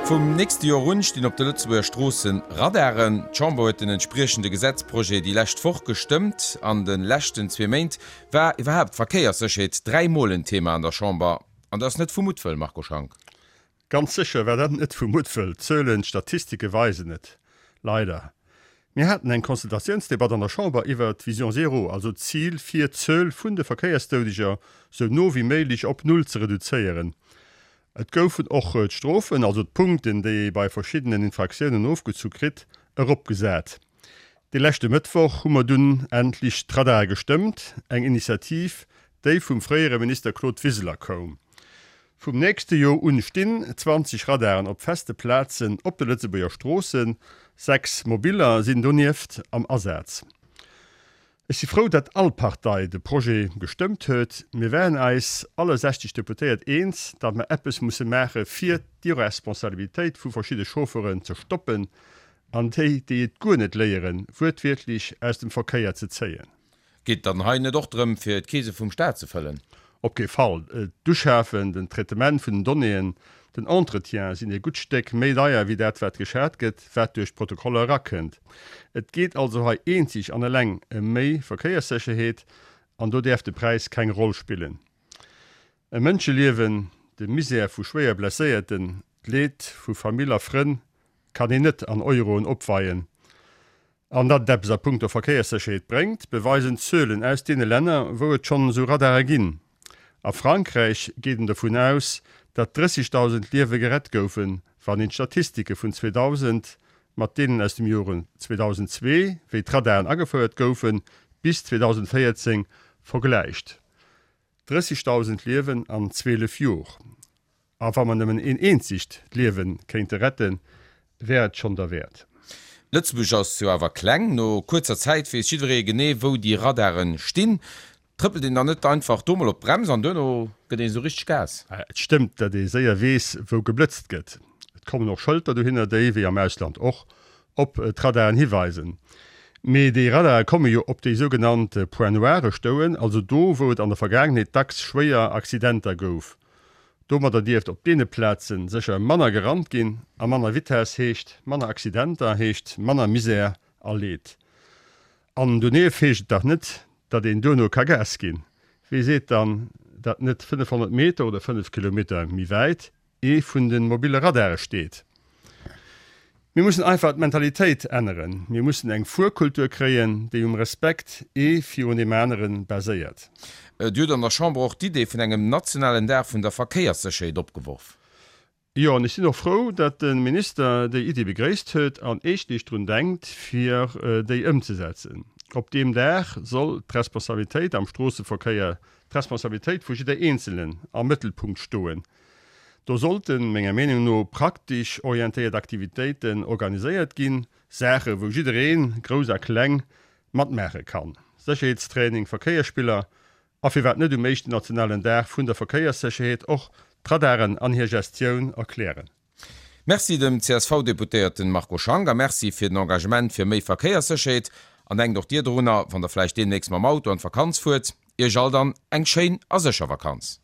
Vum nächste Joer un stinn op de Lëtzebuerger Stroossen Radaren. D'Chamber huet den entspriechende Gesetzprojet déi lescht Woch gestëmmt. An de leschten zwee Méint war iwwerhaapt d'Verkéierssécherheet 3 Mol en Thema an der Chamber. An dat ass net vu Muttwëll, Marco Schank. Ganz sécher war dat net vu Muttwëll. D'Zuelen, d'Statistike weisen et leider. Mir haten eng Consultatiounsdebatt an der Chamber iwwert d'Vision zéro, also d'Zil fir d'Zuel vun de Verkéiersdoudeger sou no wéi méiglech op Null ze reduzéieren. Et goufen och d'Strofen, also d'Punkten, déi ee bei verschiddenen Infraktiounen ofgezu kritt, eropgesat. De leschte Mëttwoch hu mer dunn endlech d'Radare gestëmmt, eng Initiativ, déi vum fréiere Minister Claude Wiseler koum. Vum nächste Joer un stinn 20 Radaren op feste Plazen op de Lëtzebuerger Stroossen, 6 Mobiller sinn donieft am Asaz. Ech si frou, datt all Partei de Projet gestëmmt huet. Mir waren eis alle 60 Deputéiert eens, datt mer eppes musse maache fir d'Irresponsabilitéit vu verschidde Chauffeuren ze stoppen an déi, déi et guer net léieren, wuertwiertlech aus dem Verkéier ze zéien. Geet et dann hei net och drëm, fir d'Keese vum Staat ze fëllen? Op kee Fall. D'Uschafen, den Traitement vun den Donnéeën, den Entretien sinn e gutt Stéck méi deier wéi dat wat geschat gëtt, wat duerch d'Protokoller erakënnt. Et geet also hei eenzeg an eleng ëm méi Verkéierssécherheet an do däerf de Präis keng Roll spillen. E Mënscheliewen, de Misär vu schwéier Blesséierten, d'Leed vu Famill a Frënn kann een net an Euroen opweien. An datt et eppes a punkto Verkéierssécherheet bréngt, beweisen d'Zuelen aus deene Länner, wou et schonn esou Radare ginn. A Frankräich geet een dovun aus, datt 30.000 Liewe gerett goufen, wann een d'Statistike vun 2000 mat deenen aus dem Jore 2002, wéi d'Radaren agefouert goufen, bis 2014 vergläicht. 30.000 Liewen an 12 Jor. A wa mer nëmmen een eenzegt Liewe kéinte retten, wär et schonn derwäert. Lëtzebuerg ass jo awer kleng. No kuerzer Zäit weess jiddweree genee, wou déi Radaren stinn. Trëppelt een dann net einfach do mol op d'Brems an duerno gëtt een esou richteg Gas? Et stëmmt, datt ee séier weess, wou geblëtzt gëtt. Et kommen och Schëlter dohinner, déi, wéi am Ausland och, op d'Radaren hiweisen. Mee déi Radare komme jo op déi sougenannt Points noirs stouen, also do, wou et an der Vergaangenheet dacks schwéier Accidenter gouf. Domadder dierft op deene Plaze sécher manner gerannt ginn, a manner Vitess heescht manner Accidenter, heescht manner Misär a Leed. An donieft heescht et dach net, datt een duerno ka Gas ginn. Wee seet dann, datt net 500 Meter oder 5 Kilometer méi wäit ee vun de mobille Radare steet? Mir mussen einfach d'Mentalitéit änneren. Mir mussen eng Fuerkultur kréien, déi um Respekt ee virun deem anere baséiert. Dir hutt an der Chamber och d'Idee vun engem nationalen Dag vun der Verkéierssécherheet opgeworf. Jo, an ech sinn och frou, datt de Minister déi Iddi begréisst huet an eeschtlech drun denkt, fir déi ëmzesetzen. Op deem Dag soll d'Responsabilitéit am Stroosseverkéier, d'Responsabilitéit vu jidder Eenzelen am Mëttelpunkt stoen. Do sollten, menger Meenung no, praktesch orientéiert Aktivitéiten organiséiert ginn, Saache wou jiddereen, grouss a kleng, matmaache kann. Sécherheetstraining, Verkéiersspiller a firwat net um éischten nationalen Dag vun der Verkéierssécherheet och d'Radaren an hir Gestioun erklären. Merci dem CSV-Deputéierten Marco Schank a Merci fir den Engagement fir méi Verkéierssécherheet. An denkt och Dir dorunner, wann der vläicht deemnächst mam Auto an d'Vakanz fuert. Iech all dann eng schéin a sécher Vakanz.